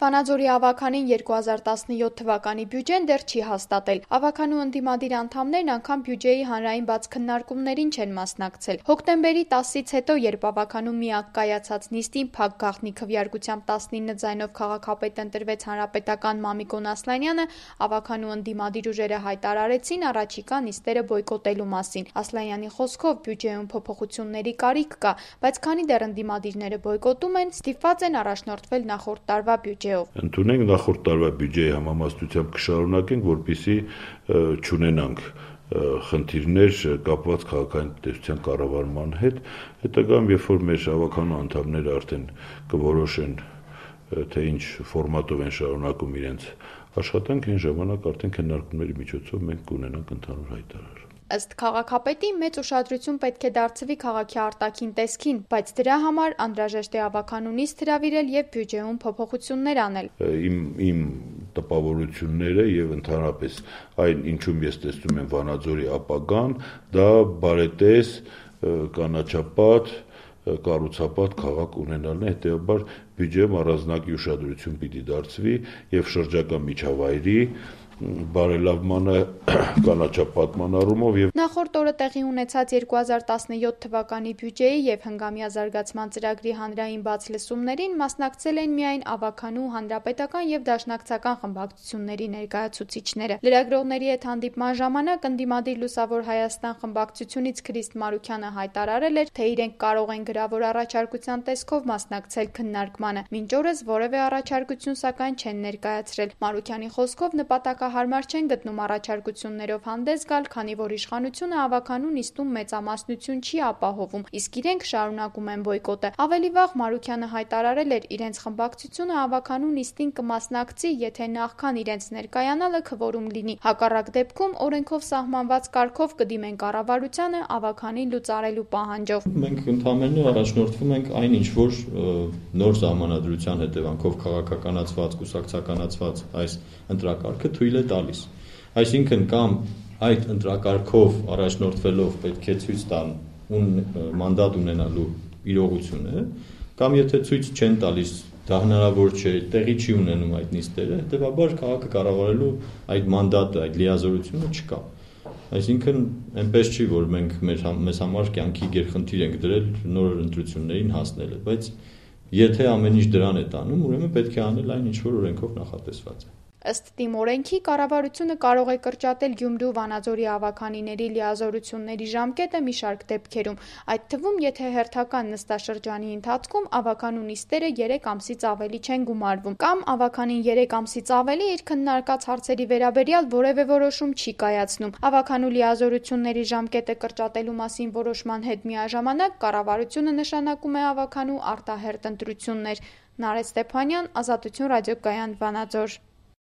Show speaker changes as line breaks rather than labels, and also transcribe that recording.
Վանաձորի ավականին 2017 թվականի բյուջեն դեռ չի հաստատել։ Ավականու ընդդիմադիր անդամներն անգամ բյուջեի հանրային բաց քննարկումներին չեն մասնակցել։ Հոկտեմբերի 10-ից հետո, երբ ավականու միակ կայացած նիստին փակ գաղտնի քվեարկությամբ 19 ձայնով քաղաքապետ ընտրվեց հանրապետական Մամիկոն Ասլանյանը, ավականու ընդդիմադիր ուժերը հայտարարեցին առաջիկա նիստերը բոյկոտելու մասին։ Ասլանյանի խոսքով բյուջեում փոփոխությունների կարիք կա, բայց քանի դեռ ընդդիմադիրները բոյկոտում են, ստիպված են առաջնորդվել նախորդ տարվա բյուջեով։
Ընդունենք նախորդ տարվա բյուջեի համամասնությամբ կշարունակենք, որպեսզի չունենանք խնդիրներ կապված քաղաքային տնտեսության կառավարման հետ։ Հետագայում, երբ որ մեր ավականու անդամները արդեն կորոշեն, թե ինչ ֆորմատով են շարունակում իրենց աշխատանք, այն ժամանակ արդեն քննարկումների միջոցով մենք կունենանք ընդհանուր հայտարար։
Ըստ քաղաքապետի մեծ ուշադրություն պետք է դարձվի քաղաքի արտաքին տեսքին, բայց դրա համար անհրաժեշտ է ավականու նիստ հրավիրել եւ բյուջեում փոփոխություններ անել։
Իմ տպավորությունները եւ ընդհանրապես այն, ինչում ես տեսնում եմ Վանաձորի ապագան, դա բարետես, կանաչապատ, կառուցապատ քաղաք ունենալն է, հետեւաբար բյուջեում առանձնակի ուշադրություն պիտի դարձվի եւ շրջակա միջավայրի բարելավմանը կանաչապատման առումով եւ
Նախորդ օրը տեղի ունեցած 2017 թվականի բյուջեի եւ հնգամյա զարգացման ծրագրի հանրային բաց լսումներին մասնակցել են միայն ավականու, հանրապետական եւ դաշնակցական խմբակցությունների ներկայացուցիչները։ Լրագրողների հետ հանդիպման ժամանակ ընդդիմադիր Լուսավոր Հայաստան խմբակցությունից Քրիստ Մարուքյանը հայտարարել էր, թե իրենք կարող են գրավոր առաջարկության տեսքով մասնակցել քննարկմանը։ Մինչ օրս որևէ առաջարկություն սակայն չեն ներկայացրել։ Մարուքյանի խոսքով նպատակահարմար չեն գտնում առաջարկություններով հանդես գալ, քանի որ իշխանությունը ավականու նիստում մեծամասնություն չի ապահովում, իսկ իրենք շարունակում են բոյկոտը։ Ավելի վաղ Մարուքյանը հայտարարել էր, իրենց խմբակցությունը ավականու նիստին կմասնակցի, եթե նախքան իրենց ներկայանալը քվորում լինի։ Հակառակ դեպքում օրենքով սահմանված կարգով կդիմեն կառավարությանը ավականին լուծարելու պահանջով։
Մենք ընդհանրապես առաջնորդվում ենք այն, ինչ որ նոր սահմանադրության հետևանքով քաղաքականացված, կուսակցականացված այս ընտրակարգը թույլ է տալիս։ Այսինքն կամ այդ ընտրակարգով առաջնորդվելով պետք է ցույց տան մանդատ ունենալու իրողությունը, կամ եթե ցույց չեն տալիս, դա հնարավոր չէ, տեղի չի ունենում այդ նիստերը, հետեւաբար քաղաքը կառավարելու այդ մանդատը, այդ լիազորությունը չկա։ Այսինքն այնպես չի, որ մենք մեզ համար կյանքի գերխնդիր ենք դրել նոր ընտրություններին հասնելը, բայց եթե ամեն ինչ դրան է տանում, ուրեմն պետք է անել այն, ինչ որ օրենքով նախատեսված է։
Ըստ թիմօրենքի կառավարությունը կարող է կրճատել Գյումրու Վանաձորի ավականիների լիազորությունների ժամկետը մի շարք դեպքերում, այդ թվում, եթե հերթական նստաշրջանի ընթացքում ավականու նիստերը 3 ամսից ավելի չեն գումարվում, կամ ավականին 3 ամսից ավելի իր քննարկած հարցերի վերաբերյալ որևէ որոշում չի կայացնում։ Ավականու լիազորությունների ժամկետը կրճատելու մասին որոշման հետ միաժամանակ կառավարությունը նշանակում է ավականու արտահերթ ընտրություններ։ Նարեկ Ստեփանյան, Ազատություն ռադիոկայան, Վանաձոր։